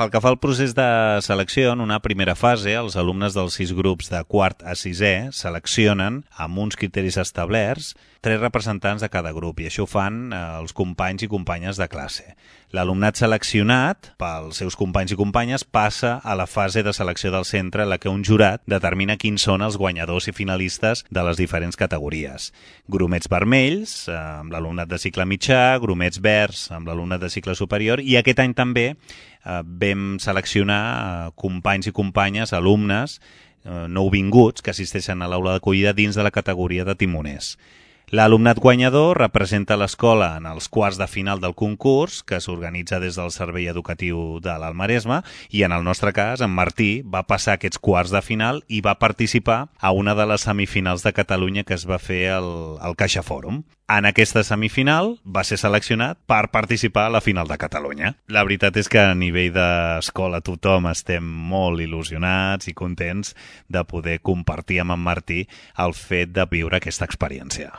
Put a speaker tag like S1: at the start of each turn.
S1: Pel que fa al procés de selecció, en una primera fase, els alumnes dels 6 grups de quart a sisè seleccionen, amb uns criteris establerts, 3 representants de cada grup, i això ho fan els companys i companyes de classe. L'alumnat seleccionat pels seus companys i companyes passa a la fase de selecció del centre, en la que un jurat determina quins són els guanyadors i finalistes de les diferents categories. Grumets vermells, amb l'alumnat de cicle mitjà, grumets verds, amb l'alumnat de cicle superior, i aquest any també vam seleccionar companys i companyes, alumnes nouvinguts que assisteixen a l'aula d'acollida dins de la categoria de timoners. L'alumnat guanyador representa l'escola en els quarts de final del concurs, que s'organitza des del Servei Educatiu de l'Alt Maresme, i en el nostre cas, en Martí va passar aquests quarts de final i va participar a una de les semifinals de Catalunya que es va fer al Caixa Fòrum. En aquesta semifinal va ser seleccionat per participar a la final de Catalunya. La veritat és que a nivell d'escola tothom estem molt il·lusionats i contents de poder compartir amb en Martí el fet de viure aquesta experiència.